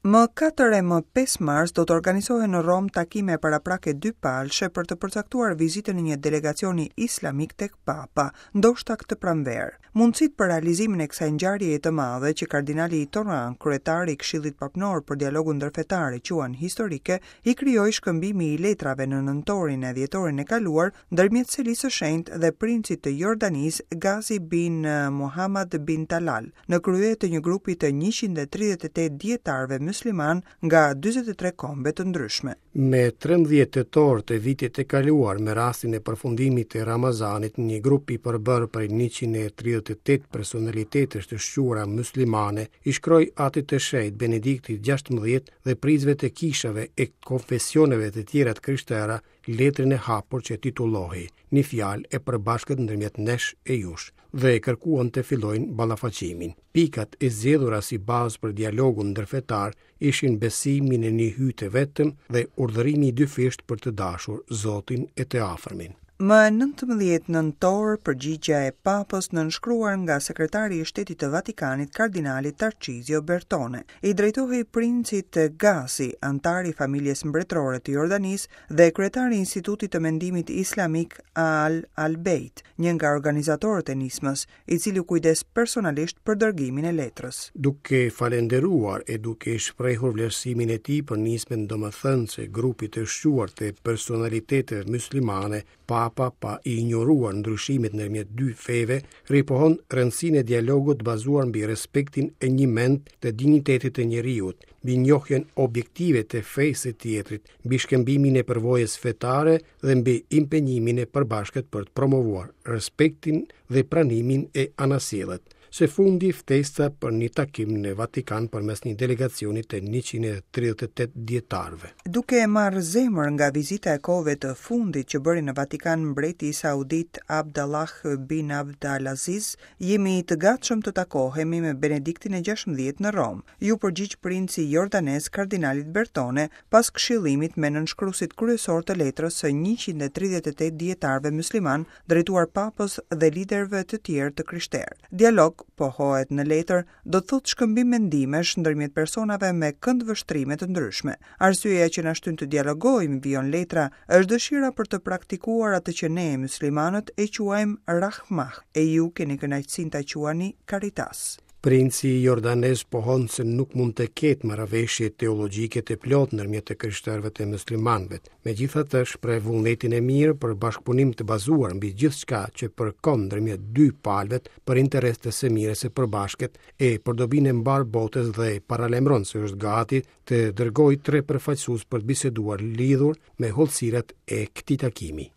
Më 4 e më 5 mars do të organizohen në Romë takime paraprake dypalëshe për të përcaktuar vizitën e një delegacioni islamik tek Papa, ndoshta këtë pranverë. Mundësitë për realizimin e kësaj ngjarjeje të madhe që kardinali Tauran, kryetar i Këshillit Papnor për dialogun ndërfetar e quan historike, i krijoi shkëmbimi i letrave në nëntorin e dhjetorin e kaluar ndërmjet Selisë së Shenjtë dhe princit të Jordanisë Ghazi bin Muhammad bin Talal, në krye të një grupi të 138 dijetarëve myslimanë nga 43 kombe të ndryshme. Me 13 tetor të vitit të kaluar, me rastin e përfundimit të Ramazanit, një grup i përbërë prej 138 personalitetesh të shquara muslimane i shkroi Atit të Shenjtë Benediktit XVI dhe prijësve të kishave e konfesioneve të tjera të krishtera letrën e hapur që titullohej Një fjalë e përbashkët ndërmjet nesh e jush dhe kërkuan të fillojnë ballafaqimin. Pikat e zgjedhura si bazë për dialogun ndërfetar ishin besimi në një Hyj të vetëm dhe urdhërimi i dyfishtë për të dashur Zotin e të afërmin. Më 19 nëntor, përgjigja e Papës nënshkruar nga sekretari i Shtetit të Vatikanit, kardinali Tarcizio Bertone, i drejtohej princit Ghazi, anëtar i familjes mbretërore të Jordanisë dhe kryetar i Institutit të Mendimit Islamik Ahl al-Bejt, një nga organizatorët e nismës, i cili u kujdes personalisht për dërgimin e letrës. Duke falënderuar e duke shprehur vlerësimin e tij për nismën domethënëse grupit të shquar të personaliteteve muslimane, Papa pa i injoruar ndryshimet ndërmjet dy feve, ripohon rëndësinë e dialogut bazuar mbi respektin e njëmendtë të dinjitetit të njeriut, mbi njohjen objektive të fesë së tjetrit, mbi shkëmbimin e përvojës fetare dhe mbi impenjimin e përbashkët për të promovuar respektin dhe pranimin e anasjellët. Së fundi, ftesa për një takim në Vatikan përmes një delegacioni të 138 dijetarëve. Duke e marrë zemër nga vizita e kohëve të fundit që bëri në Vatikan mbreti saudit Abdallah bin Abdulaziz, jemi të gatshëm të takohemi me Benediktin e XVI në Romë, iu përgjigj princi jordanez kardinalit Bertone pas këshillimit me nënshkruesit kryesorë të letrës së 138 dijetarëve myslimanë drejtuar Papës dhe liderëve të tjerë të krishterë. Dialog, pohohet në letër, do të thotë shkëmbim mendimesh ndërmjet personave me këndvështrime të ndryshme. Arsyeja që na shtyn të dialogojmë, vijon letra, është dëshira për të praktikuar atë që ne, myslimanët, e quajmë rahmah, e ju keni kënaqësinë ta quani caritas. Princi jordanez pohon se nuk mund të ketë marrëveshje teologjike të plotë ndërmjet të krishterëve e muslimanëve. Megjithatë, shpreh vullnetin e mirë për bashkëpunim të bazuar mbi gjithçka që përkon ndërmjet dy palëve për interes të së mirës së përbashkët e për dobinë e mbarë botës dhe paralajmëron se është gati të dërgojë tre përfaqësues për të biseduar lidhur me hollësirat e këtij takimi.